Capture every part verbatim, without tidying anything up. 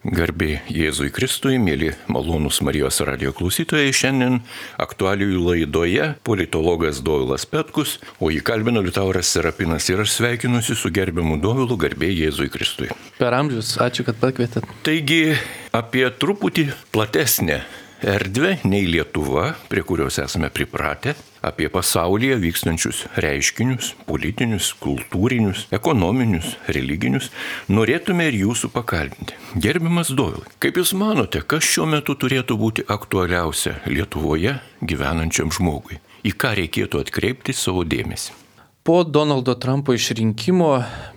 Garbė Jėzui Kristui, mėly malonūs Marijos radijo klausytojai, šiandien aktualijų laidoje politologas Dovilas Petkus, o jį kalbino Liutauras Serapinas ir aš sveikinuosi su gerbiamu Dovilu, garbė Jėzui Kristui. Per amžius, ačiū, kad pakvietėt. Taigi apie truputį platesnę erdvę nei Lietuva, prie kurios esame pripratę, apie pasaulyje vykstančius reiškinius, politinius, kultūrinius, ekonominius, religinius, norėtume ir jūsų pakalbinti. Gerbiamas Dovilai, kaip jūs manote, kas šiuo metu turėtų būti aktualiausia Lietuvoje gyvenančiam žmogui? Į ką reikėtų atkreipti savo dėmesį? Po Donaldo Trumpo išrinkimo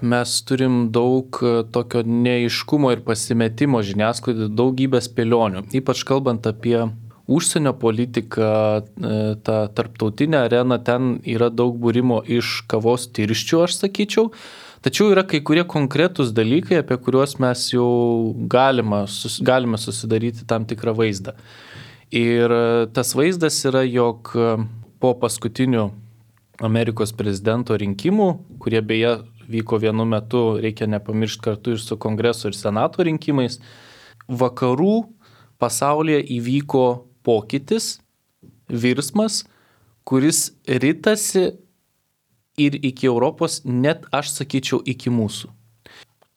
mes turim daug tokio neaiškumo ir pasimetimo žiniasklaidoje, daugybę spėlionių, ypač kalbant apie užsienio politiką, tą tarptautinę areną, ten yra daug būrimo iš kavos tirščių, aš sakyčiau, tačiau yra kai kurie konkretūs dalykai, apie kuriuos mes jau galime, galime susidaryti tam tikrą vaizdą. Ir tas vaizdas yra, jog po paskutinių Amerikos prezidento rinkimų, kurie beje vyko vienu metu, reikia nepamiršti kartu ir su kongreso ir senato rinkimais, vakarų pasaulyje įvyko pokytis, virsmas, kuris ritasi ir iki Europos, net aš sakyčiau iki mūsų.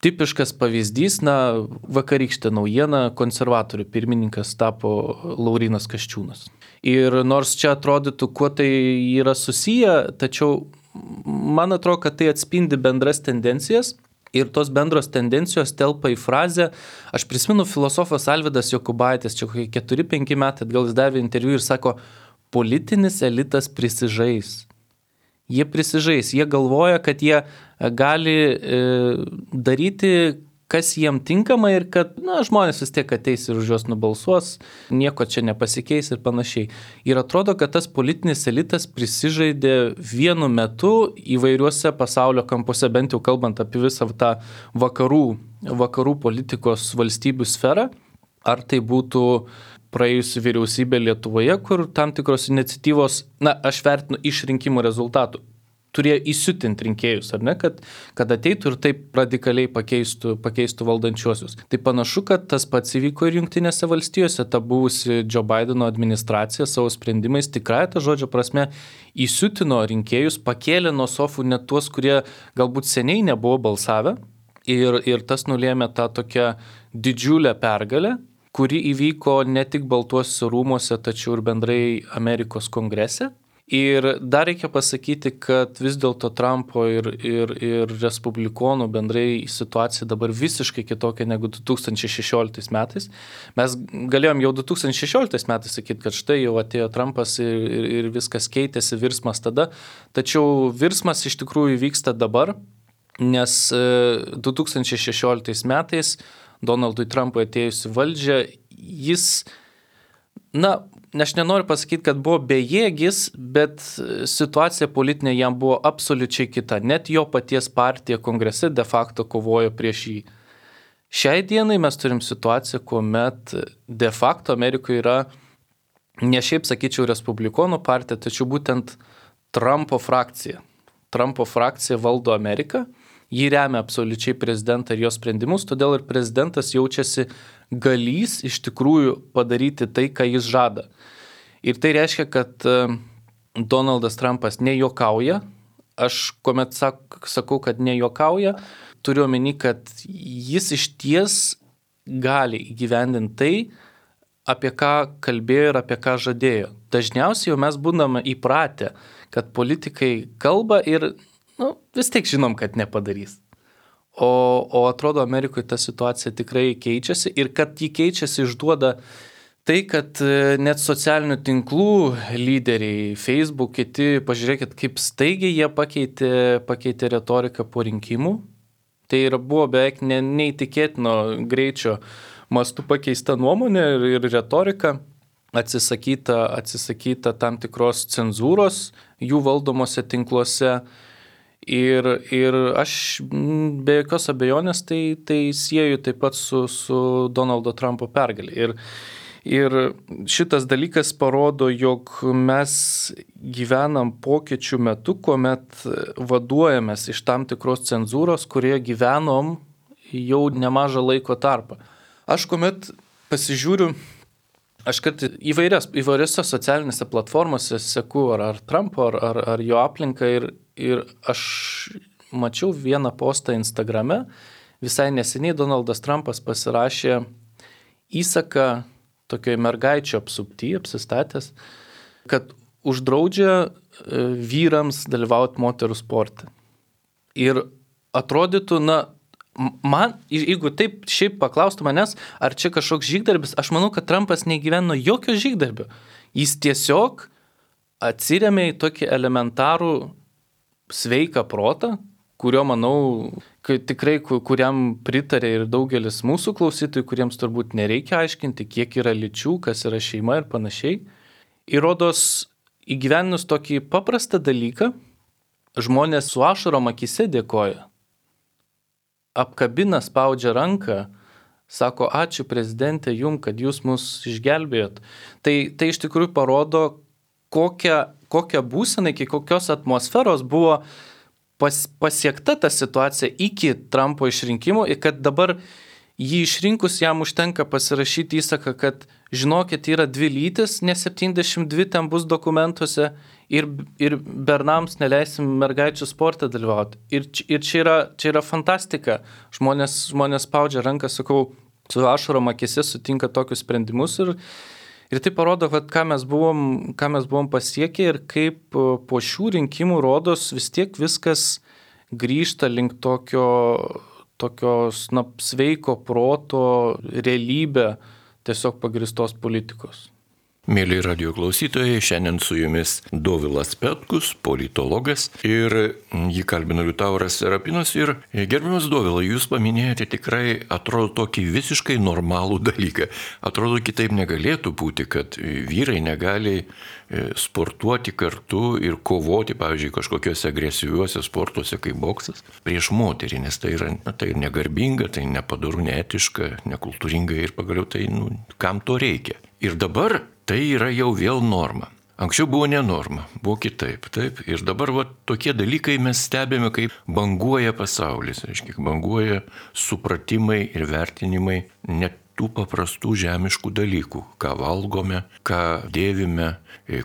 Tipiškas pavyzdys, na, vakarykštė naujiena, konservatorių pirmininkas tapo Laurynas Kasčiūnas. Ir nors čia atrodytų, kuo tai yra susiję, tačiau man atrodo, kad tai atspindi bendras tendencijas ir tos bendros tendencijos telpa į frazę. Aš prisimenu filosofas Alvydas Jokubaitis, čia kokie keturi penki metai atgal jis davė interviu ir sako, politinis elitas prisižais. Jie prisižais, jie galvoja, kad jie gali e, daryti, kas jiem tinkama ir kad, na, žmonės vis tiek ateis ir už juos nubalsuos, nieko čia nepasikeis ir panašiai. Ir atrodo, kad tas politinis elitas prisižaidė vienu metu įvairiuose pasaulio kampuose, bent jau kalbant apie visą tą vakarų, vakarų politikos valstybių sferą, ar tai būtų praėjusi vyriausybė Lietuvoje, kur tam tikros iniciatyvos, na, aš vertinu iš rinkimų rezultatų, turėjo įsiutinti rinkėjus, ar ne, kad, kad ateitų ir taip radikaliai pakeistų, pakeistų valdančiuosius. Tai panašu, kad tas pats įvyko ir Jungtinėse valstijose, ta buvusi Joe Bideno administracija savo sprendimais tikrai ta žodžio prasme įsiutino rinkėjus, pakėlė nuo sofų net tuos, kurie galbūt seniai nebuvo balsavę ir, ir tas nulėmė tą tokią didžiulę pergalę, kuri įvyko ne tik Baltuosiuose rūmuose, tačiau ir bendrai Amerikos kongrese. Ir dar reikia pasakyti, kad vis dėlto Trumpo ir, ir, ir respublikonų bendrai situacija dabar visiškai kitokia negu du tūkstančiai šešioliktais metais. Mes galėjom jau du tūkstančiai šešioliktais metais sakyti, kad štai jau atėjo Trumpas ir, ir, ir viskas keitėsi, virsmas tada. Tačiau virsmas iš tikrųjų vyksta dabar, nes du tūkstančiai šešioliktais metais Donaldui Trumpui atėjus į valdžią, jis, na, aš nenoriu pasakyti, kad buvo bejėgis, bet situacija politinė jam buvo absoliučiai kita. Net jo paties partija kongrese de facto kovojo prieš jį. Šiai dienai mes turim situaciją, kuomet de facto Amerikoje yra, ne šiaip sakyčiau, respublikonų partija, tačiau būtent Trumpo frakcija. Trumpo frakcija valdo Ameriką. Jį remia absoliučiai prezidentą ir jo sprendimus, todėl ir prezidentas jaučiasi galys iš tikrųjų padaryti tai, ką jis žada. Ir tai reiškia, kad Donaldas Trumpas nejuokauja. Aš kuomet sakau, kad nejuokauja, turiu omeny, kad jis iš ties gali įgyvendinti tai, apie ką kalbėjo ir apie ką žadėjo. Dažniausiai jau mes būname įpratę, kad politikai kalba ir nu, vis tiek žinom, kad nepadarys. O, o atrodo, Amerikoje ta situacija tikrai keičiasi ir kad jį keičiasi išduoda tai, kad net socialinių tinklų lyderiai, Facebook, kiti, pažiūrėkit, kaip staigiai jie pakeitė, pakeitė retoriką po rinkimų. Tai ir buvo beveik ne, neįtikėtino greičio mastu pakeista nuomonė ir, ir retorika, atsisakyta, atsisakyta tam tikros cenzūros jų valdomose tinkluose. Ir, ir aš be jokios abejonės tai, tai sieju taip pat su, su Donaldo Trumpo pergalė. Ir, ir šitas dalykas parodo, jog mes gyvenam pokyčių metu, kuomet vaduojamės iš tam tikros cenzūros, kurioje gyvenom jau nemažą laiko tarpą. Aš kuomet pasižiūriu, aš kad įvairias, įvairiose socialinėse platformose seku ar, ar Trumpo, ar, ar, ar jo aplinką ir, ir aš mačiau vieną postą Instagrame, visai neseniai Donaldas Trumpas pasirašė įsaką tokioje mergaičio apsupty, apsistatęs, kad uždraudžia vyrams dalyvauti moterų sporte. Ir atrodytų, na, man, jeigu taip šiaip paklaustų manęs, ar čia kažkoks žygdarbis, aš manau, kad Trumpas negyveno jokio žygdarbio. Jis tiesiog atsiremė į tokį elementarų sveiką protą, kurio, manau, tikrai, kuriam pritarė ir daugelis mūsų klausytojų, kuriems turbūt nereikia aiškinti, kiek yra lyčių, kas yra šeima ir panašiai. Įrodos, įgyveninus tokį paprastą dalyką, žmonės su ašarom akyse dėkoja. Apkabina, spaudžia ranką, sako, ačiū prezidentė jum, kad jūs mus išgelbėjot. Tai, tai iš tikrųjų parodo, kokią, kokią būseną, iki kokios atmosferos buvo pas, pasiekta ta situacija iki Trumpo išrinkimo ir kad dabar jį išrinkus jam užtenka pasirašyti įsaką, kad žinokit, yra dvi lytis, ne septyniasdešimt dvi ten bus dokumentuose ir, ir bernams neleisim mergaičių sportą dalyvauti. Ir, ir čia, yra, čia yra fantastika. Žmonės, žmonės spaudžia ranką, sakau, su ašarom akyse sutinka tokius sprendimus ir, ir tai parodo, kad ką mes buvom, ką mes buvom pasiekę ir kaip po šių rinkimų rodos vis tiek viskas grįžta link tokio tokios, na, sveiko proto realybę tiesiog pagristos politikos. Mėly radio klausytojai, šiandien su jumis Dovilas Petkus, politologas, ir jį kalbino Liutauras Serapinas. Ir gerbiamas Dovilai, jūs paminėjote tikrai, atrodo, tokį visiškai normalų dalyką. Atrodo, kitaip negalėtų būti, kad vyrai negali sportuoti kartu ir kovoti, pavyzdžiui, kažkokiuose agresyviuose sportuose kaip boksas prieš moterį, nes tai yra na, tai negarbinga, tai nepadaru, neetiška, nekultūringa ir pagaliau tai, nu, kam to reikia. Ir dabar tai yra jau vėl norma. Anksčiau buvo ne norma, buvo kitaip, taip. Ir dabar va, tokie dalykai mes stebime, kaip banguoja pasaulis, reiškia, banguoja supratimai ir vertinimai net tų paprastų žemiškų dalykų, ką valgome, ką dėvime,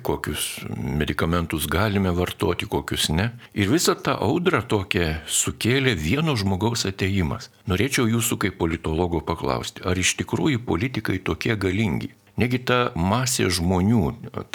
kokius medikamentus galime vartoti, kokius ne. Ir visą tą audrą tokią sukėlė vieno žmogaus atėjimas. Norėčiau jūsų kaip politologo paklausti, ar iš tikrųjų politikai tokie galingi? Negi ta masė žmonių,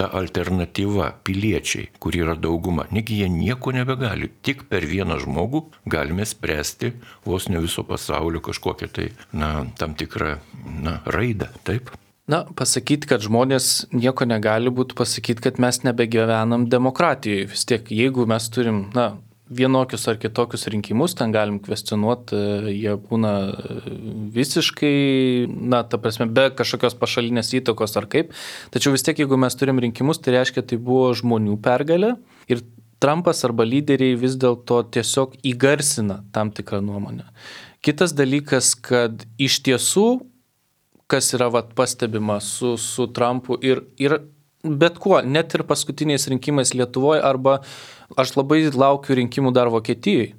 ta alternatyva, piliečiai, kur yra dauguma, negi jie nieko nebegali. Tik per vieną žmogų galime spręsti vos ne viso pasaulio kažkokią tai, na, tam tikrą, na, raidą, taip? Na, pasakyti, kad žmonės nieko negali būti, pasakyti, kad mes nebegyvenam demokratijoje. Vis tiek, jeigu mes turim, na, vienokius ar kitokius rinkimus, ten galim kvestionuoti, jie būna visiškai, na, ta prasme, be kažkokios pašalinės įtakos ar kaip. Tačiau vis tiek, jeigu mes turim rinkimus, tai reiškia, tai buvo žmonių pergalė ir Trumpas arba lyderiai vis dėlto tiesiog įgarsina tam tikrą nuomonę. Kitas dalykas, kad iš tiesų, kas yra vat, pastebima su, su Trumpu ir, ir bet kuo, net ir paskutiniais rinkimais Lietuvoje arba aš labai laukiu rinkimų dar Vokietijoje.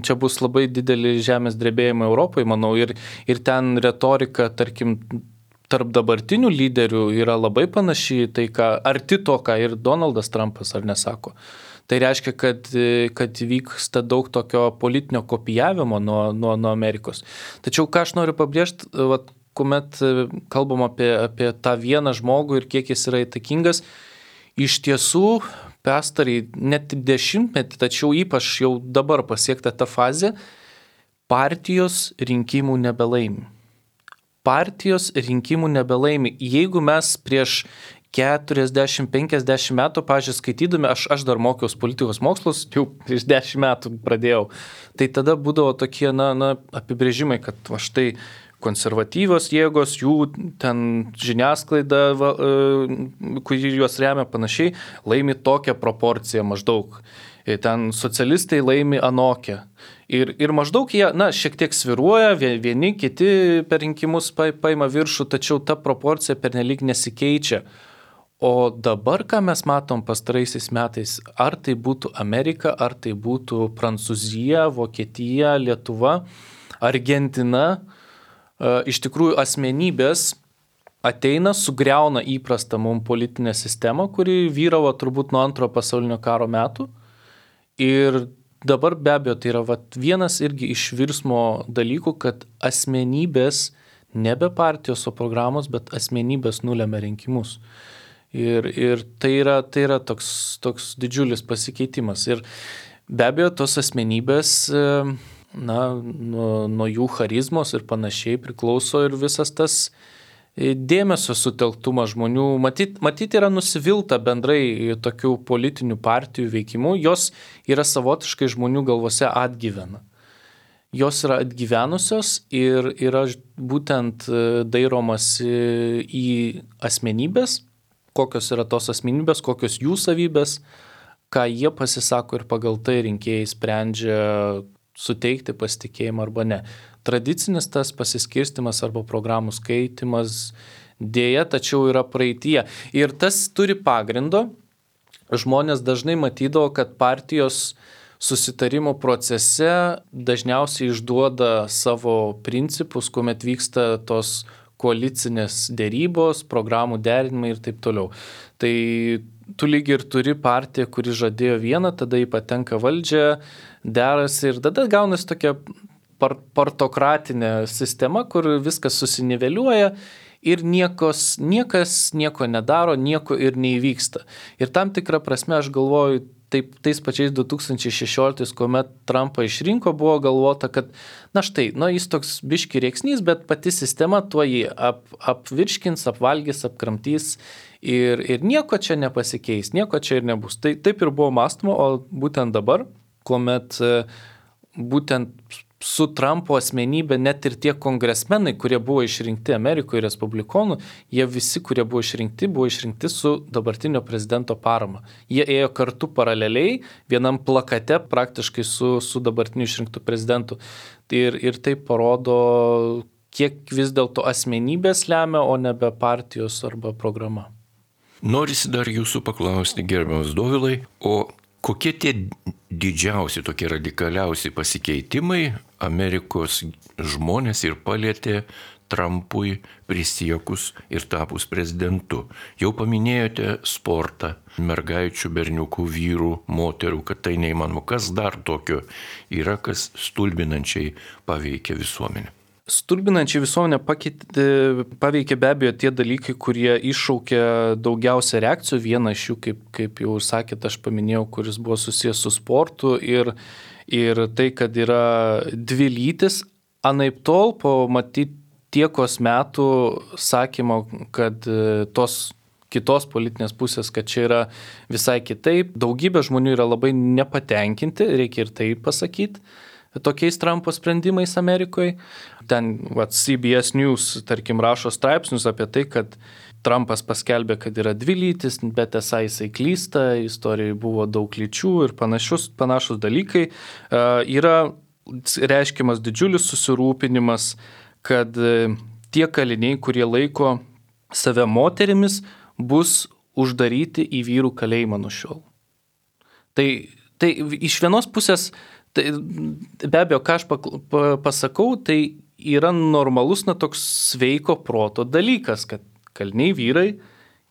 Čia bus labai dideli žemės drebėjimai Europoje, manau, ir, ir ten retorika, tarkim, tarp dabartinių lyderių yra labai panaši į tai, ką, arti to, ką ir Donaldas Trumpas ar nesako. Tai reiškia, kad, kad vyksta daug tokio politinio kopijavimo nuo, nuo, nuo Amerikos. Tačiau ką aš noriu pabrėžti, vat, kuomet kalbam apie, apie tą vieną žmogų ir kiek jis yra įtakingas, iš tiesų pastarį net dešimtmetį, tačiau ypač jau dabar pasiekta ta fazė, partijos rinkimų nebelaimi. Partijos rinkimų nebelaimi. Jeigu mes prieš keturiasdešimt penkiasdešimt metų, pažiūrėjau, skaitydami, aš, aš dar mokiausi politikos mokslus, jau prieš dešimt metų pradėjau, tai tada būdavo tokie na, na, apibrėžimai, kad va štai konservatyvios jėgos, jų ten žiniasklaida, va, kuri juos remia panašiai, laimi tokią proporciją maždaug. Ten socialistai laimi anokią. Ir, ir maždaug jie, na, šiek tiek sviruoja, vieni, kiti per rinkimus paima viršų, tačiau ta proporcija pernelyg nesikeičia. O dabar, ką mes matom pastaraisiais metais, ar tai būtų Amerika, ar tai būtų Prancūzija, Vokietija, Lietuva, Argentina, iš tikrųjų asmenybės ateina, sugriauna įprastą mums politinę sistemą, kuri vyravo turbūt nuo antrojo pasaulinio karo metų. Ir dabar be abejo tai yra vat, vienas irgi iš virsmo dalykų, kad asmenybės, nebe partijos, o programos, bet asmenybės nulemia rinkimus. Ir, ir tai yra, tai yra toks, toks didžiulis pasikeitimas. Ir be abejo tos asmenybės, na, nuo, nuo jų charizmos ir panašiai priklauso ir visas tas dėmesio sutelktumas žmonių. Matyt, matyt yra nusivilta bendrai tokių politinių partijų veikimu. Jos yra savotiškai žmonių galvose atgyvena. Jos yra atgyvenusios ir yra būtent dairomasi į asmenybės, kokios yra tos asmenybės, kokios jų savybės, ką jie pasisako ir pagal tai rinkėjai sprendžia suteikti pasitikėjimą arba ne. Tradicinis tas pasiskirstimas arba programų skaitimas dėja, tačiau yra praeityje. Ir tas turi pagrindo. Žmonės dažnai matydavo, kad partijos susitarimo procese dažniausiai išduoda savo principus, kuomet vyksta tos koalicinės dėrybos, programų derinimai ir taip toliau. Tai tu lyg ir turi partiją, kuri žadėjo vieną, tada jį patenka valdžią, derasi ir tada gaunasi tokia partokratinė sistema, kur viskas susiniveliuoja ir niekos, niekas nieko nedaro, nieko ir neįvyksta. Ir tam tikrą prasme aš galvoju, taip, tais pačiais du tūkstančiai šešioliktais, kuomet Trumpą išrinko, buvo galvota, kad na štai, nu, jis toks biški rėksnys, bet pati sistema tuo jį ap, apvirškins, apvalgys, apkramtys ir, ir nieko čia nepasikeis, nieko čia ir nebus. Tai taip ir buvo mąstoma, o būtent dabar, kuomet būtent su Trumpo asmenybė net ir tie kongresmenai, kurie buvo išrinkti Amerikoje respublikonų, jie visi, kurie buvo išrinkti, buvo išrinkti su dabartinio prezidento parama. Jie ėjo kartu paraleliai, vienam plakate praktiškai su, su dabartiniu išrinktu prezidentu. Ir, ir tai parodo, kiek vis dėlto asmenybės lemia, o nebe partijos arba programa. Norisi dar jūsų paklausti, gerbiamas Dovilai, o kokie tie didžiausi, tokie radikaliausi pasikeitimai Amerikos žmonės ir palietė Trumpui prisiekus ir tapus prezidentu? Jau paminėjote sportą, mergaičių, berniukų, vyrų, moterų, kad tai neįmanoma. Kas dar tokio yra, kas stulbinančiai paveikia visuomenę? Stulbinančiai visuomenę pakeitė, paveikė be abejo tie dalykai, kurie iššaukia daugiausia reakcijų. Vieną iš jų, kaip, kaip jau sakėt, aš paminėjau, kuris buvo susijęs su sportu ir, ir tai, kad yra dvi lytis. Anaip tol, po matyti tiekos metų sakymo, kad tos kitos politinės pusės, kad čia yra visai kitaip. Daugybė žmonių yra labai nepatenkinti, reikia ir tai pasakyti, tokiais Trumpo sprendimais Amerikoje. Ten vat, C B S News, tarkim, rašo straipsnius apie tai, kad Trumpas paskelbė, kad yra dvi lytis, bet esą jisai klysta, istorijoje buvo daug lyčių ir panašus, panašus dalykai. Uh, yra reiškiamas didžiulis susirūpinimas, kad uh, tie kaliniai, kurie laiko save moterimis, bus uždaryti į vyrų kalėjimą nuo šiol. Tai, tai iš vienos pusės, tai, be abejo, ką aš pasakau, tai yra normalus, na, toks sveiko proto dalykas, kad kaliniai vyrai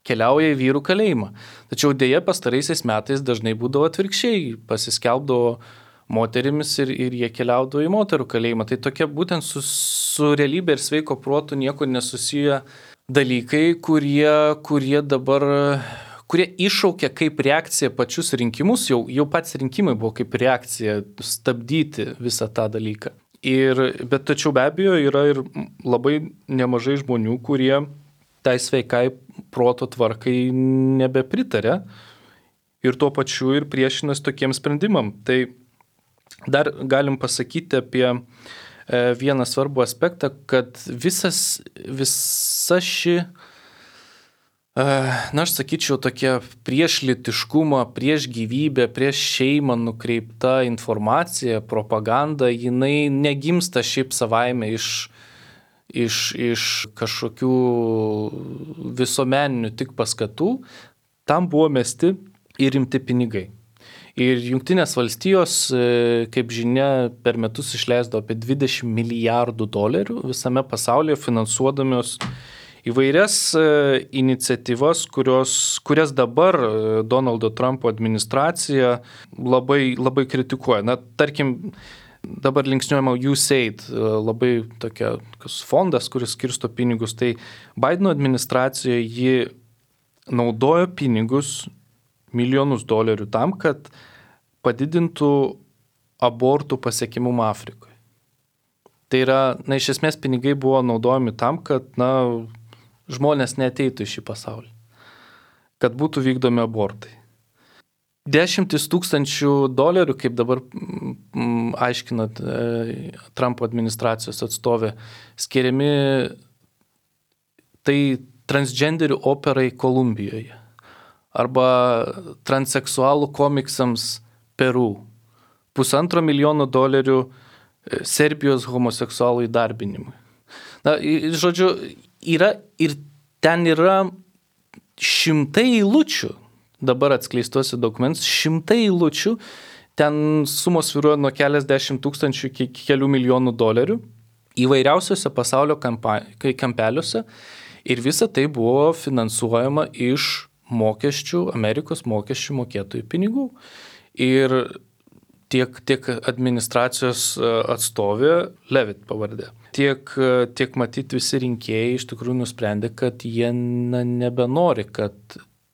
keliauja į vyrų kalėjimą. Tačiau dėja pastaraisiais metais dažnai būdavo atvirkščiai, pasiskelbdavo moterimis ir, ir jie keliaudavo į moterų kalėjimą. Tai tokie būtent su, su realybė ir sveiko protu nieko nesusiję dalykai, kurie, kurie dabar, kurie iššaukia kaip reakcija pačius rinkimus, jau, jau pats rinkimai buvo kaip reakcija stabdyti visą tą dalyką. Ir, bet tačiau be abejo yra ir labai nemažai žmonių, kurie tai sveikai proto tvarkai nebepritarė ir tuo pačiu ir priešinas tokiem sprendimam. Tai dar galim pasakyti apie vieną svarbų aspektą, kad visas, visa ši, na aš sakyčiau, tokia prieš lytiškumą, prieš gyvybę, prieš šeimą nukreipta informacija, propaganda, jinai negimsta šiaip savaime iš, iš, iš kažkokių visuomeninių tik paskatų, tam buvo mesti ir rimti pinigai. Ir Jungtinės valstijos, kaip žinia, per metus išleisdo apie dvidešimt milijardų dolerių visame pasaulyje finansuodamios įvairias iniciatyvas, kurios, kurias dabar Donaldo Trumpo administracija labai, labai kritikuoja. Na, tarkim, dabar linksniuojama U S A I D, labai tokia fondas, kuris skirsto pinigus. Tai Bideno administracijoje ji naudojo pinigus, milijonus dolerių tam, kad padidintų abortų pasiekimumą Afrikoje. Tai yra, na, iš esmės pinigai buvo naudojami tam, kad, na, žmonės neateitų į šį pasaulį, kad būtų vykdomi abortai. Dešimtis tūkstančių dolerių, kaip dabar m, aiškinat e, Trumpo administracijos atstovė, skiriami tai transgenderių operai Kolumbijoje arba transseksualų komiksams Peru. Pusantro milijono dolerių Serbijos homoseksualų įdarbinimui. Na, žodžiu, yra ir ten yra šimtai eilučių, dabar atskleistuose dokumentus, šimtai eilučių, ten sumos svyruoja nuo keliasdešimt tūkstančių iki kelių milijonų dolerių įvairiausiose pasaulio kampa- kampeliuose ir visa tai buvo finansuojama iš mokesčių, Amerikos mokesčių mokėtojų pinigų. Ir tiek, tiek administracijos atstovė, Levitt pavardė, tiek, tiek matyti visi rinkėjai iš tikrųjų nusprendė, kad jie na, nebenori, kad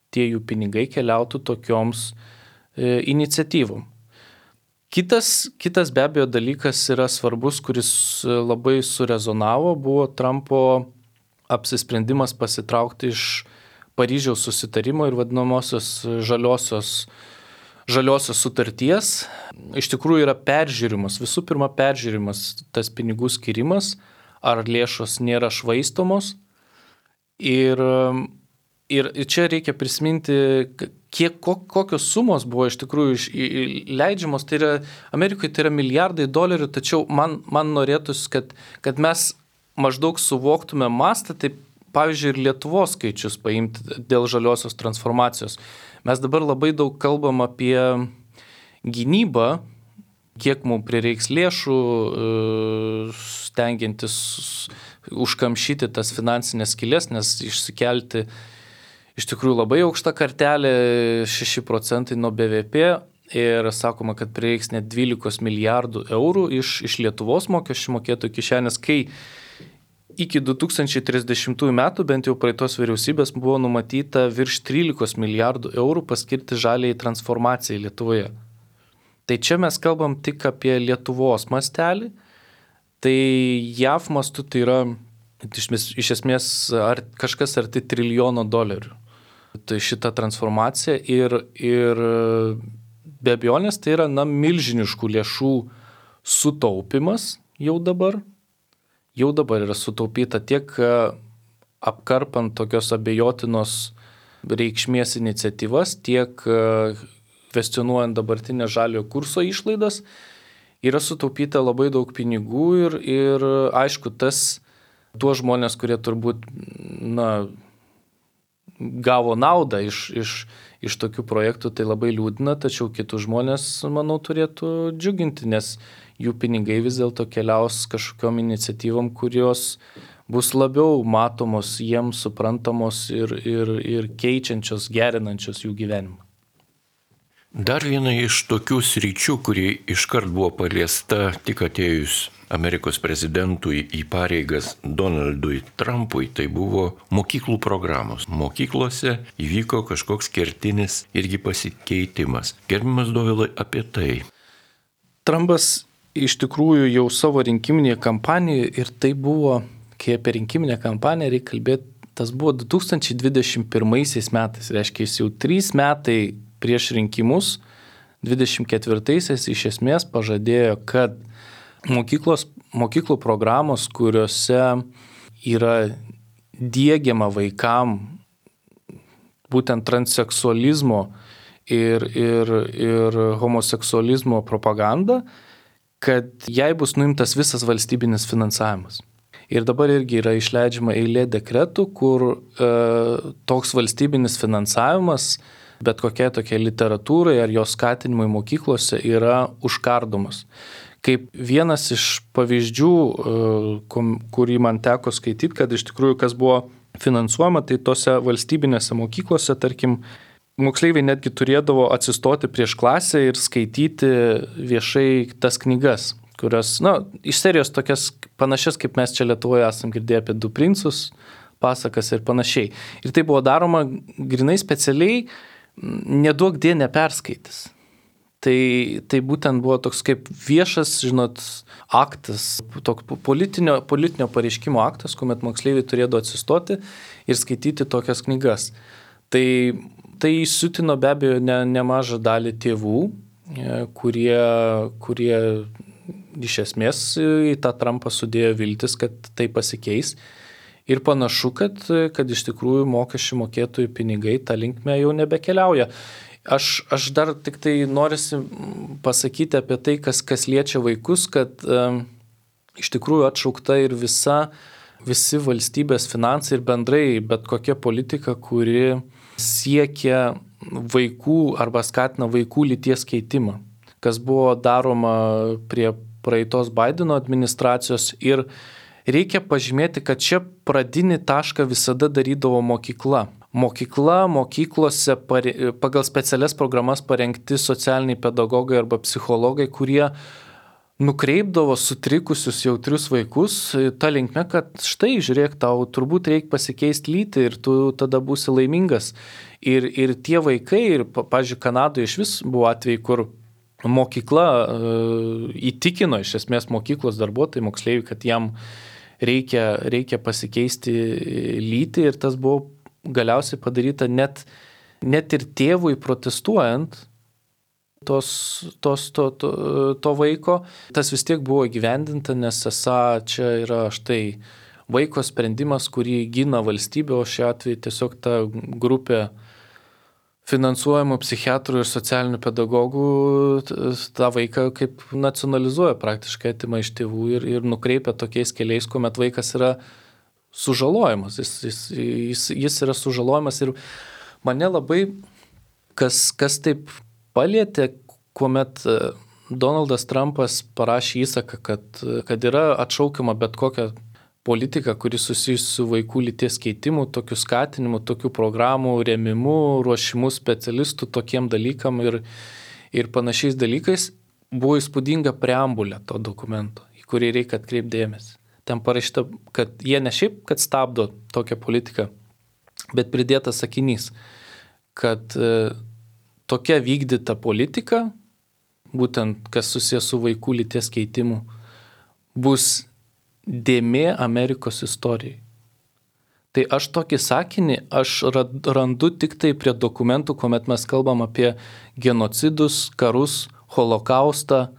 tie jų pinigai keliautų tokioms e, iniciatyvom. Kitas, kitas be abejo dalykas yra svarbus, kuris labai surezonavo, buvo Trumpo apsisprendimas pasitraukti iš Paryžiaus susitarimo ir vadinamosios žaliosios, žaliosios sutarties. Iš tikrųjų yra peržiūrimas, visų pirma peržiūrimas tas pinigų skirimas, ar lėšos nėra švaistomos. Ir, ir čia reikia prisiminti, kiek, kokios sumos buvo iš tikrųjų leidžiamos. Tai yra, Amerikoje tai yra milijardai dolerių, tačiau man, man norėtųsi, kad, kad mes maždaug suvoktume mastą, taip pavyzdžiui, ir Lietuvos skaičius paimti dėl žaliosios transformacijos. Mes dabar labai daug kalbam apie gynybą, kiek mums prireiks lėšų, stengiantis užkamšyti tas finansinės skylės, nes išsikelti iš tikrųjų labai aukšta kartelė, šeši procentai nuo B V P, ir sakoma, kad prireiks net dvylika milijardų eurų iš, iš Lietuvos mokesčių mokėtojų kišenės, kai iki du tūkstančiai trisdešimtųjų metų, bent jau praeitos vyriausybės, buvo numatyta virš trylika milijardų eurų paskirti žaliai transformacijai Lietuvoje. Tai čia mes kalbam tik apie Lietuvos mastelį, tai J A V mastu tai yra iš, iš esmės ar, kažkas arti trilijono dolerių. Tai šita transformacija ir, ir be abejonės tai yra na, milžiniškų lėšų sutaupimas jau dabar. Jau dabar yra sutaupyta tiek apkarpant tokios abejotinos reikšmės iniciatyvas, tiek kvestionuojant dabartinę žaliojo kurso išlaidas, yra sutaupyta labai daug pinigų ir, ir aišku, tas tuos žmonės, kurie turbūt na, gavo naudą iš, iš, iš tokių projektų, tai labai liūdina, tačiau kitus žmonės, manau, turėtų džiuginti, nes jų pinigai vis dėlto keliaus kažkokiom iniciatyvom, kurios bus labiau matomos, jiems suprantamos ir, ir, ir keičiančios, gerinančios jų gyvenimą. Dar viena iš tokių sričių, kuri iškart buvo paliesta tik atėjus Amerikos prezidentui į pareigas Donaldui Trumpui, tai buvo mokyklų programos. Mokyklose įvyko kažkoks kertinis irgi pasikeitimas. Gerbiamas Dovilai, apie tai. Trumpas iš tikrųjų jau savo rinkiminėje kampanijoje, ir tai buvo, kai apie rinkiminę kampaniją reikia kalbėti, tas buvo du tūkstančiai dvidešimt pirmaisiais metais, reiškia jis jau trys metai prieš rinkimus, dvidešimt ketvirtaisiais iš esmės pažadėjo, kad mokyklos, mokyklų programos, kuriuose yra diegiama vaikam būtent transseksualizmo ir, ir, ir homoseksualizmo propaganda, kad jai bus nuimtas visas valstybinis finansavimas. Ir dabar irgi yra išleidžiama eilė dekretų, kur e, toks valstybinis finansavimas bet kokia tokia literatūrai ar jos skatinimui mokyklose yra užkardomas. Kaip vienas iš pavyzdžių, kurį man teko skaityti, kad iš tikrųjų kas buvo finansuojama, tai tose valstybinėse mokyklose, tarkim, moksleiviai netgi turėdavo atsistoti prieš klasę ir skaityti viešai tas knygas, kurios, na, iš serijos tokias panašias, kaip mes čia Lietuvoje esam girdėję apie Du princus, pasakas ir panašiai. Ir tai buvo daroma grinai specialiai, neduok die neperskaitis. Tai, tai būtent buvo toks kaip viešas, žinot, aktas, toks politinio, politinio pareiškimo aktas, kuomet moksleiviai turėdavo atsistoti ir skaityti tokias knygas. Tai, tai įsiutino be abejo ne, nemažą dalį tėvų, kurie, kurie iš esmės į tą Trumpą sudėjo viltis, kad tai pasikeis. Ir panašu, kad, kad iš tikrųjų mokesčių mokėtojų pinigai tą linkmę jau nebekeliauja. Aš, aš dar tik tai norisi pasakyti apie tai, kas, kas liečia vaikus, kad e, iš tikrųjų atšaukta ir visa, visi valstybės finansai ir bendrai bet kokia politika, kuri siekia vaikų arba skatina vaikų lyties keitimą, kas buvo daroma prie praeitos Baideno administracijos. Ir reikia pažymėti, kad čia pradinį tašką visada darydavo mokykla. Mokykla, mokyklose pagal specialias programas parengti socialiniai pedagogai arba psichologai, kurie nukreipdavo sutrikusius jautrius vaikus tą linkme, kad štai, žiūrėk, tau turbūt reikia pasikeisti lytį ir tu tada būsi laimingas. Ir, ir tie vaikai, ir, pavyzdžiui, Kanadoje iš vis buvo atvejai, kur mokykla uh, įtikino iš esmės mokyklos darbuotojai, moksleiviai, kad jam reikia, reikia pasikeisti lytį, ir tas buvo galiausiai padaryta net, net ir tėvui protestuojant tos, tos, to, to, to vaiko. Tas vis tiek buvo įgyvendinta, nes esą čia yra štai vaiko sprendimas, kurį gina valstybė, o šiuo atveju tiesiog ta grupė finansuojamų psichiatrų ir socialinių pedagogų tą vaiką kaip nacionalizuoja, praktiškai atima iš tėvų ir, ir nukreipia tokiais keliais, kuomet vaikas yra sužalojimas. Jis, jis, jis, jis yra sužalojimas ir mane labai kas, kas taip palietė, kuomet Donaldas Trumpas parašė įsaką, kad, kad yra atšaukiama bet kokia politika, kuri susijusi su vaikų lyties keitimu, tokiu skatinimu, tokių programų rėmimu, ruošimu specialistų tokiem dalykam ir, ir panašiais dalykais, buvo įspūdinga preambulė to dokumento, į kurį reikia atkreipti dėmesį. Ten parašyta, kad jie ne šiaip, kad stabdo tokią politiką, bet pridėtas sakinys, kad e, tokia vykdyta politika, būtent kas susijęs su vaikų lyties keitimu, bus dėmė Amerikos istorijai. Tai aš tokį sakinį aš randu tik tai prie dokumentų, kuomet mes kalbam apie genocidus, karus, holokaustą,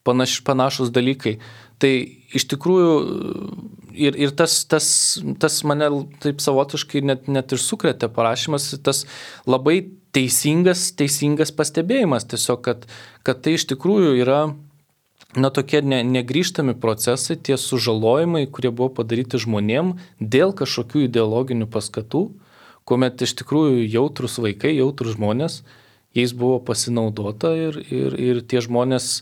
panaš, panašus dalykai. Tai iš tikrųjų ir, ir tas, tas, tas mane taip savotiškai net, net ir sukrėtė parašymas, tas labai teisingas, teisingas pastebėjimas tiesiog, kad, kad tai iš tikrųjų yra na, tokie ne, negrįžtami procesai, tie sužalojimai, kurie buvo padaryti žmonėm dėl kažkokių ideologinių paskatų, kuomet iš tikrųjų jautrus vaikai, jautrus žmonės, jais buvo pasinaudota ir, ir, ir tie žmonės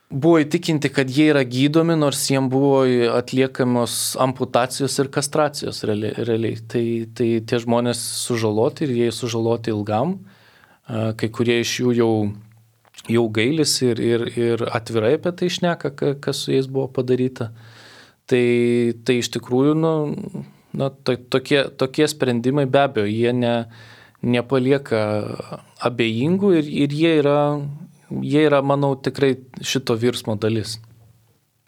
buvo įtikinti, kad jie yra gydomi, nors jiems buvo atliekamos amputacijos ir kastracijos realiai. Tai, tai tie žmonės sužaloti ir jie sužaloti ilgam. Kai kurie iš jų jau, jau gailis ir, ir, ir atvirai apie tai šneka, kas su jais buvo padaryta. Tai, tai iš tikrųjų, nu, na, to, tokie, tokie sprendimai be abejo, jie ne, nepalieka abejingų ir, ir jie yra Jie yra, manau, tikrai šito virsmo dalis.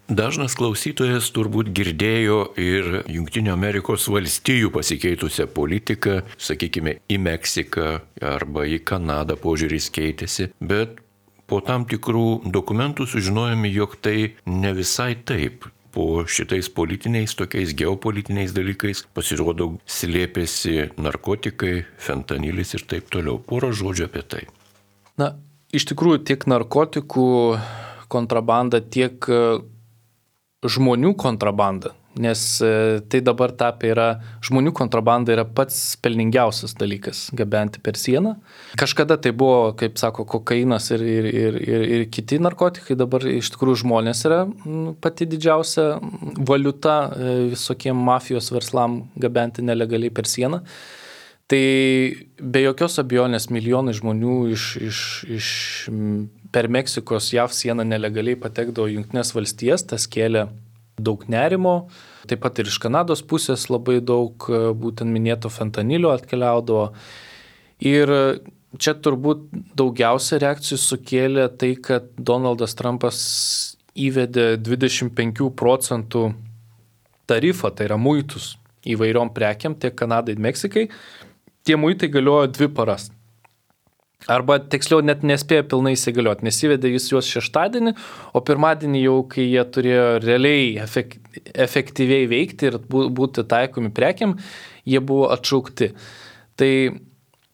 Dažnas klausytojas turbūt girdėjo ir Jungtinių Amerikos valstijų pasikeitusią politiką, sakykime, į Meksiką arba į Kanadą požiūris keitėsi, bet po tam tikrų dokumentų sužinojome, jog tai ne visai taip. Po šitais politiniais, tokiais geopolitiniais dalykais pasirodo slėpėsi narkotikai, fentanilis ir taip toliau. Porą žodžių apie tai. Na, iš tikrųjų, tiek narkotikų kontrabanda, tiek žmonių kontrabanda, nes tai dabar tapė yra, žmonių kontrabanda yra pats pelningiausias dalykas gabenti per sieną. Kažkada tai buvo, kaip sako, kokainas ir, ir, ir, ir, ir kiti narkotikai, dabar iš tikrųjų žmonės yra pati didžiausia valiuta visokiem mafijos verslam gabenti nelegaliai per sieną. Tai be jokios abejonės milijonai žmonių iš, iš, iš per Meksikos J A V sieną nelegaliai patekdavo į Jungtines valstijas, tas kėlė daug nerimo, taip pat ir iš Kanados pusės labai daug būtent minėto fentanilio atkeliaudavo. Ir čia turbūt daugiausia reakcijų sukėlė tai, kad Donaldas Trumpas įvedė dvidešimt penkių procentų tarifą, tai yra muitus įvairiom prekiam tiek Kanadai ir Meksikai. Tie muitai galiojo dvi paras. Arba tiksliau net nespėjo pilnai įsigalioti, nes įvedė jis juos šeštadienį, o pirmadienį jau, kai jie turėjo realiai efek, efektyviai veikti ir būti taikomi prekiam, jie buvo atšaukti. Tai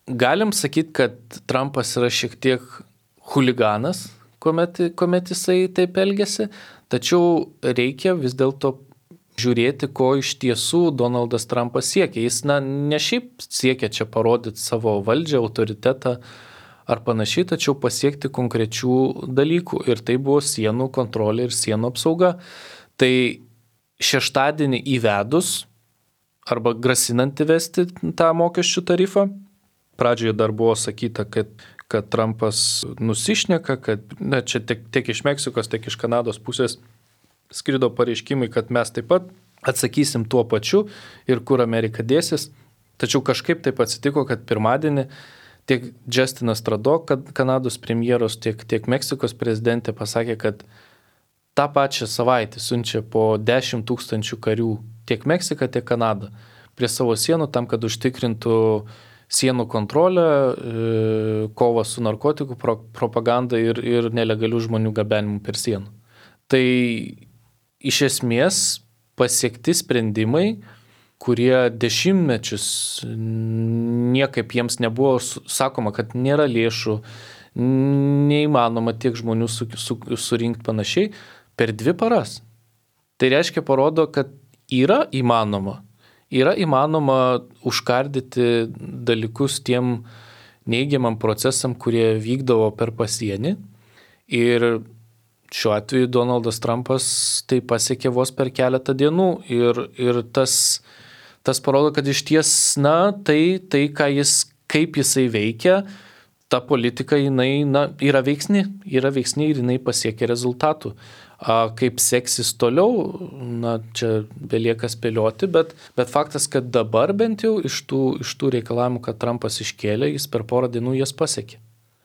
galim sakyti, kad Trumpas yra šiek tiek huliganas, kuomet, kuomet jisai taip elgiasi, tačiau reikia vis dėlto žiūrėti, ko iš tiesų Donaldas Trumpas siekia. Jis na, ne šiaip siekia čia parodyti savo valdžią, autoritetą ar panašiai, tačiau pasiekti konkrečių dalykų. Ir tai buvo sienų kontrolė ir sienų apsauga. Tai šeštadienį įvedus arba grasinant įvesti tą mokesčių tarifą, pradžioje dar buvo sakyta, kad, kad Trumpas nusišneka, kad na, čia tiek, tiek iš Meksikos, tiek iš Kanados pusės skrido pareiškimai, kad mes taip pat atsakysim tuo pačiu ir kur Amerika dėsis. Tačiau kažkaip taip atsitiko, kad pirmadienį tiek Justinas Trudeau, kad Kanados premjeros, tiek, tiek Meksikos prezidentė pasakė, kad tą pačią savaitę siunčia po dešimt tūkstančių karių tiek Meksika, tiek Kanada prie savo sienų tam, kad užtikrintų sienų kontrolę, kovą su narkotikų propaganda ir, ir nelegalių žmonių gabenimu per sieną. Tai iš esmės pasiekti sprendimai, kurie dešimtmečius niekaip jiems nebuvo sakoma, kad nėra lėšų, neįmanoma tiek žmonių su, su, surinkti panašiai, per dvi paras. Tai reiškia parodo, kad yra įmanoma, yra įmanoma užkardyti dalykus tiem neigiamam procesam, kurie vykdavo per pasienį. Ir šiuo atveju Donaldas Trumpas tai pasiekė vos per keletą dienų ir, ir tas, tas parodo, kad iš ties, na, tai, tai ką jis, kaip jisai veikia, ta politika jinai, na, yra veiksni, yra veiksni ir jinai pasiekia rezultatų. A, kaip seksis toliau, na, čia belieka spėlioti, bet, bet faktas, kad dabar bent jau iš tų, iš tų reikalavimų, kad Trumpas iškėlė, jis per porą dienų jas pasiekė.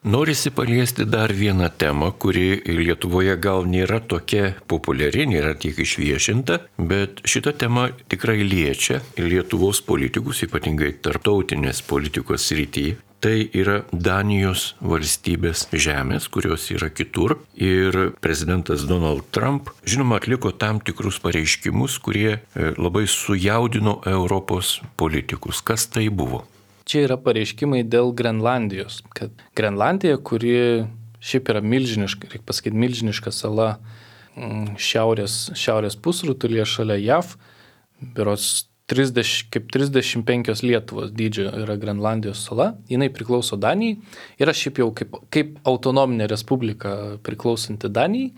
Norisi paliesti dar vieną temą, kuri Lietuvoje gal nėra tokia populiari, nėra tiek išviešinta, bet šita tema tikrai liečia Lietuvos politikus, ypatingai tarptautinės politikos srityje. Tai yra Danijos valstybės žemės, kurios yra kitur. Ir prezidentas Donald Trump, žinoma, atliko tam tikrus pareiškimus, kurie labai sujaudino Europos politikus. Kas tai buvo? Čia yra pareiškimai dėl Grenlandijos, kad Grenlandija, kuri šiaip yra milžiniška, reikia pasakyti, milžiniška sala šiaurės, šiaurės pusrutulyje šalia J A V, berods trisdešimt, kaip trisdešimt penkios Lietuvos dydžio yra Grenlandijos sala, jinai priklauso Danijai, yra šiaip jau kaip, kaip autonominė respublika priklausanti Danijai.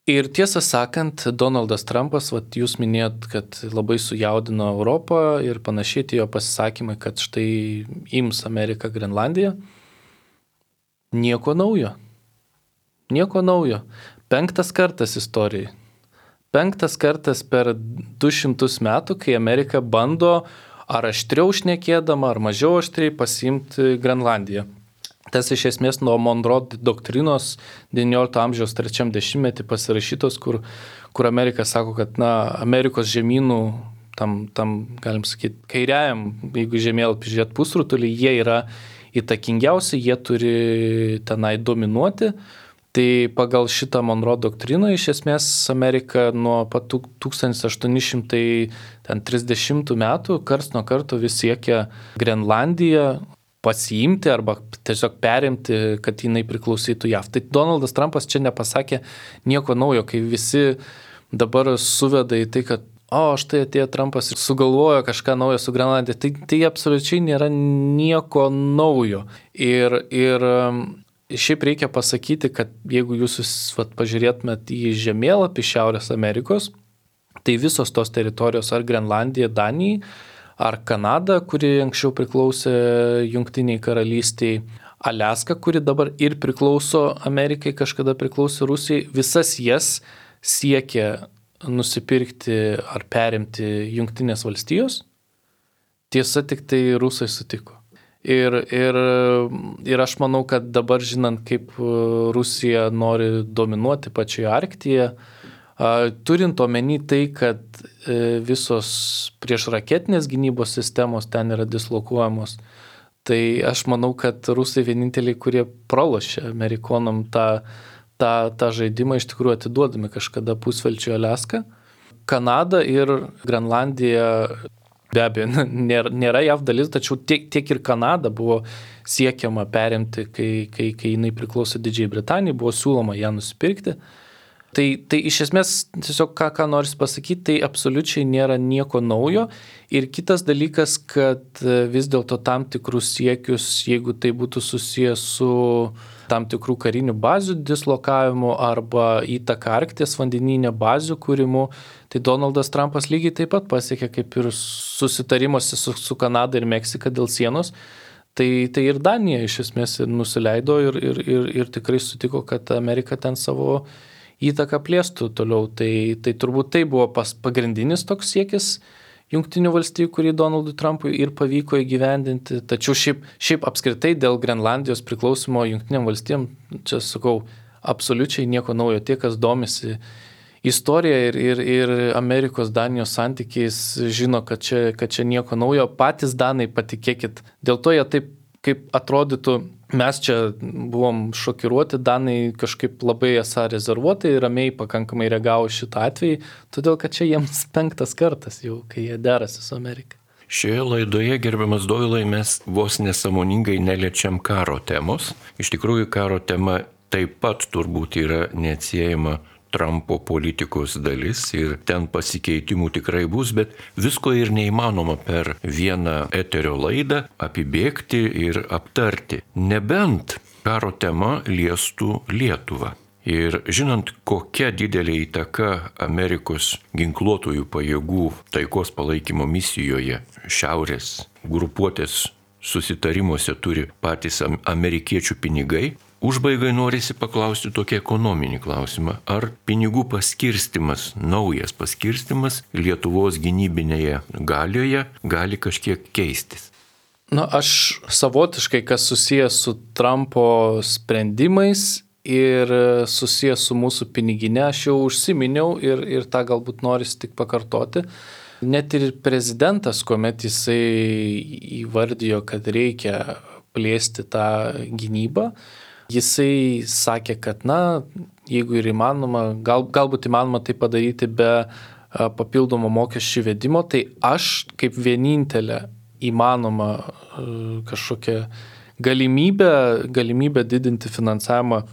Ir tiesą sakant, Donaldas Trumpas, vat, jūs minėjot, kad labai sujaudino Europą ir panašiai tie jo pasisakymai, kad štai ims Amerika Grenlandiją. Nieko naujo. Nieko naujo. Penktas kartas istorijai. Penktas kartas per du šimtus metų, kai Amerika bando ar aštriau šnekėdama, ar mažiau aštriai pasiimti Grenlandiją. Tas iš esmės nuo Monroe doktrinos devyniolikto amžiaus trečiam dešimtmetį pasirašytos, kur, kur Amerika sako, kad na, Amerikos žemynų, tam, tam galim sakyti, kairiajam, jeigu žemėlapį žiūrėt pusrutulį, jie yra įtakingiausi, jie turi tenai dominuoti. Tai pagal šitą Monroe doktriną iš esmės Amerika nuo pat tūkstantis aštuoni šimtai trisdešimtų metų karts nuo karto vis siekia Grenlandiją pasiimti arba tiesiog perimti, kad jinai priklausytų J A V. Tai Donaldas Trumpas čia nepasakė nieko naujo, kai visi dabar suveda į tai, kad o štai atėjo Trumpas ir sugalvojo kažką naujo su Grenlandija. Tai, tai absoliučiai nėra nieko naujo. Ir, ir šiaip reikia pasakyti, kad jeigu jūs vat, pažiūrėtumėt į žemėlapį Šiaurės Amerikos, tai visos tos teritorijos ar Grenlandija, Danija, ar Kanada, kuri anksčiau priklausė Jungtiniai karalystiai, Aliaska, kuri dabar ir priklauso Amerikai, kažkada priklausė Rusijai, visas jas siekia nusipirkti ar perimti Jungtinės valstijos. Tiesa, tik tai rusai sutiko. Ir, ir, ir aš manau, kad dabar žinant, kaip Rusija nori dominuoti pačioje Arktyje, turint omeny tai, kad visos priešraketinės gynybos sistemos ten yra dislokuojamos, tai aš manau, kad rusai vieninteliai, kurie pralošė amerikonam tą, tą, tą žaidimą, iš tikrųjų atiduodami kažkada pusvelčių Aliaską. Kanada ir Grenlandija be abejo nėra, nėra J A V dalis, tačiau tiek, tiek ir Kanada buvo siekiama perimti, kai, kai, kai jinai priklausė Didžiajai Britanijai, buvo siūloma ją nusipirkti. Tai, tai iš esmės, tiesiog ką, ką noris pasakyti, tai absoliučiai nėra nieko naujo. Ir kitas dalykas, kad vis dėlto tam tikrus siekius, jeigu tai būtų susijęs su tam tikrų karinių bazių dislokavimu arba įtaka Arkties vandenyne bazių kūrimu, tai Donaldas Trumpas lygiai taip pat pasiekė kaip ir susitarimuose su, su Kanada ir Meksika dėl sienos. Tai, tai ir Danija iš esmės nusileido ir, ir, ir, ir tikrai sutiko, kad Amerika ten savo įtaką plėstų toliau. Tai, tai turbūt tai buvo pas, pagrindinis toks siekis Jungtinių valstijų, kurį Donaldui Trumpui ir pavyko įgyvendinti. Tačiau šiaip, šiaip apskritai dėl Grenlandijos priklausimo Jungtinėm valstijom, čia sakau, absoliučiai nieko naujo. Tie, kas domisi istorija ir, ir, ir Amerikos Danijos santykiais, žino, kad čia, kad čia nieko naujo. Patys danai, patikėkit, dėl to jie taip, kaip atrodytų, mes čia buvom šokiruoti, danai kažkaip labai esą rezervuotai ir ramiai pakankamai reagavo šitą atvejį, todėl kad čia jiems penktas kartas jau, kai jie derasi su Amerika. Šioje laidoje, gerbiamas Dovilai, mes vos nesąmoningai neliečiam karo temos. Iš tikrųjų, karo tema taip pat turbūt yra neatsiejama Trumpo politikos dalis ir ten pasikeitimų tikrai bus, bet visko ir neįmanoma per vieną eterio laidą apibėgti ir aptarti. Nebent karo tema liestų Lietuvą. Ir žinant, kokia didelė įtaka Amerikos ginkluotojų pajėgų taikos palaikymo misijoje šiaurės grupuotės susitarimuose turi patys amerikiečių pinigai, užbaigai norisi paklausti tokį ekonominį klausimą. Ar pinigų paskirstimas, naujas paskirstimas Lietuvos gynybinėje galioje gali kažkiek keistis? Na, aš savotiškai, kas susijęs su Trumpo sprendimais ir susijęs su mūsų piniginė, aš jau užsiminiau ir, ir tą galbūt norisi tik pakartoti. Net ir prezidentas, kuomet jisai įvardijo, kad reikia plėsti tą gynybą, jisai sakė, kad, na, jeigu ir įmanoma, gal, galbūt įmanoma tai padaryti be a, papildomo mokesčių vedimo, tai aš kaip vienintelė įmanoma a, kažkokia galimybė, galimybė didinti finansavimą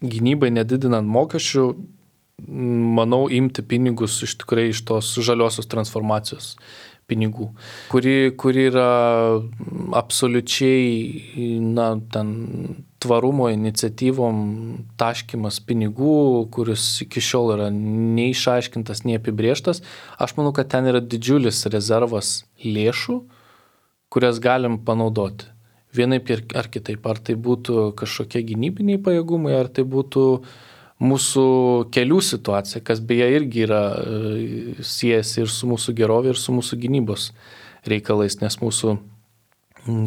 gynybai, nedidinant mokesčių, manau, imti pinigus iš tikrai iš tos žaliosios transformacijos pinigų, kuri, kuri yra absoliučiai, na, ten tvarumo iniciatyvom taškymas pinigų, kuris iki šiol yra neišaiškintas, neapibrėžtas. Aš manau, kad ten yra didžiulis rezervas lėšų, kurias galim panaudoti. Vienaip ar kitaip, ar tai būtų kažkokie gynybiniai pajėgumai, ar tai būtų mūsų kelių situacija, kas beje irgi yra siejasi ir su mūsų gerovė, ir su mūsų gynybos reikalais, nes mūsų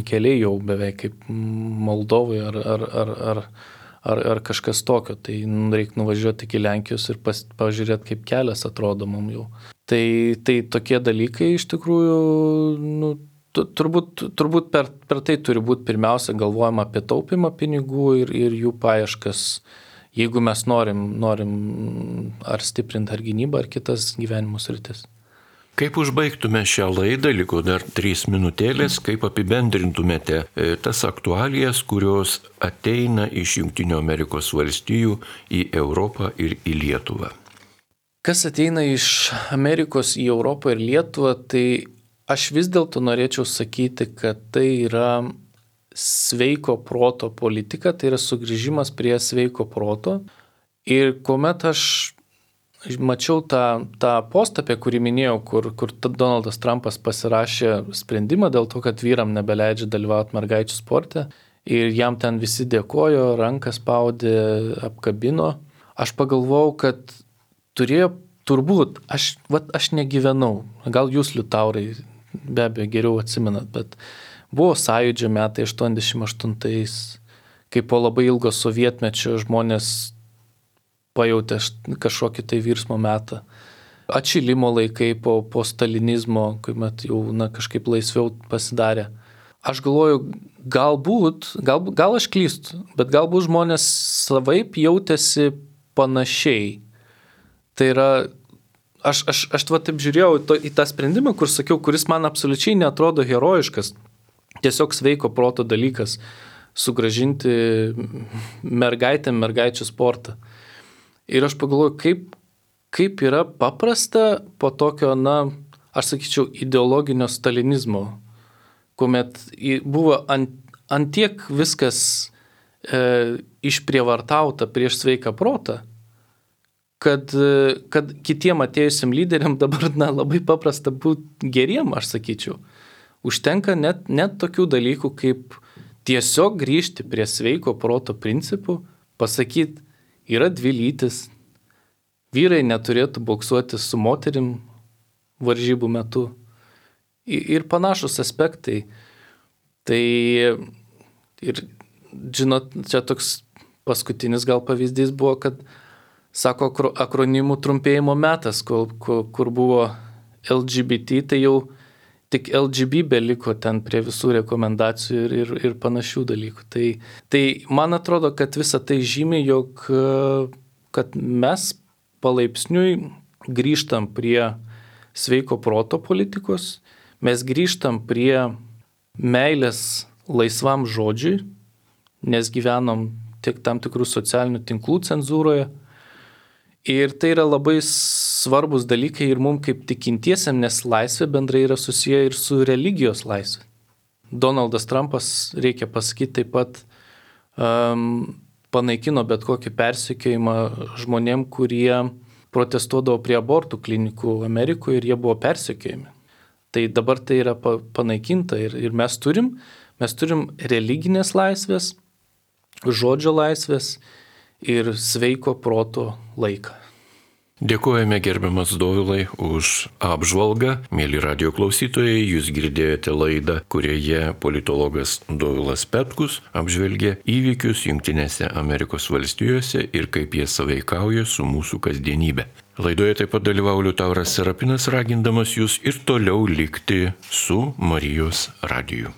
keliai jau beveik kaip Moldovoje ar, ar, ar, ar, ar, ar kažkas tokio. Tai reikia nuvažiuoti iki Lenkijos ir pas, pažiūrėti, kaip kelias atrodo mums jau. Tai, tai tokie dalykai iš tikrųjų, nu, turbūt, turbūt per, per tai turi būti pirmiausia galvojama apie taupimą pinigų ir, ir jų paieškas, jeigu mes norim, norim ar stiprinti ar gynybą, ar kitas gyvenimo sritis. Kaip užbaigtume šią laidą, liko dar trys minutėlės, kaip apibendrintumėte tas aktualijas, kurios ateina iš Jungtinių Amerikos valstijų į Europą ir į Lietuvą? Kas ateina iš Amerikos į Europą ir Lietuvą, tai aš vis dėlto norėčiau sakyti, kad tai yra sveiko proto politika, tai yra sugrįžimas prie sveiko proto. Ir kuomet aš mačiau tą, tą postą, apie kurį minėjau, kur, kur Donaldas Trumpas pasirašė sprendimą dėl to, kad vyram nebeleidžia dalyvauti mergaičių sporte ir jam ten visi dėkojo, rankas spaudė, apkabino. Aš pagalvojau, kad turėjo turbūt, aš, vat, aš negyvenau, gal jūs, Liutaurai, be abejo geriau atsimenat, bet buvo sąjūdžio metai aštuoniasdešimt aštuntais, kai po labai ilgo sovietmečio žmonės pajautė kažkokį tai virsmo metą. Atšilimo laikai po, po stalinizmo, kuomet jau na, kažkaip laisviau pasidarė. Aš galvoju, galbūt, gal, gal aš klystu, bet galbūt žmonės savaip jautėsi panašiai. Tai yra, aš, aš, aš va taip žiūrėjau to, į tą sprendimą, kur sakiau, kuris man absoliučiai neatrodo herojiškas, tiesiog sveiko proto dalykas sugrąžinti mergaitėm mergaičių sportą. Ir aš pagalvoju, kaip, kaip yra paprasta po tokio, na, aš sakyčiau, ideologinio stalinizmo, kuomet buvo ant, ant tiek viskas e, išprievartauta prieš sveiką protą, kad, kad kitiem atėjusiam lyderiam dabar na, labai paprasta būti geriem, aš sakyčiau. Užtenka net, net tokių dalykų, kaip tiesiog grįžti prie sveiko proto principų, pasakyti, yra dvi lytis, vyrai neturėtų boksuoti su moterim varžybų metu ir panašus aspektai. Tai ir, žinot, čia toks paskutinis gal pavyzdys buvo, kad sako akronimų trumpėjimo metas, kur, kur buvo L G B T, tai jau tik L G B beliko ten prie visų rekomendacijų ir, ir, ir panašių dalykų. Tai, tai man atrodo, kad visa tai žymi, jog kad mes palaipsniui grįžtam prie sveiko proto politikos, mes grįžtam prie meilės laisvam žodžiui, nes gyvenom tiek tam tikrų socialinių tinklų cenzūroje. Ir tai yra labai svarbus dalykai ir mums kaip tikintiesiam, nes laisvė bendrai yra susiję ir su religijos laisvė. Donaldas Trumpas, reikia pasakyti, taip pat um, panaikino bet kokį persekiojimą žmonėm, kurie protestuodavo prie abortų klinikų Amerikoje ir jie buvo persekiojami. Tai dabar tai yra panaikinta ir, ir mes turim, mes turim religinės laisvės, žodžio laisvės ir sveiko proto laiką. Dėkojame gerbiamas Dovilai už apžvalgą. Mėly radijo klausytojai, jūs girdėjote laidą, kurioje politologas Dovilas Petkus apžvelgė įvykius Jungtinėse Amerikos valstijose ir kaip jie sąveikauja su mūsų kasdienybė. Laidoje taip pat dalyvavo Liutauras Serapinas, ragindamas jūs ir toliau likti su Marijos radiju.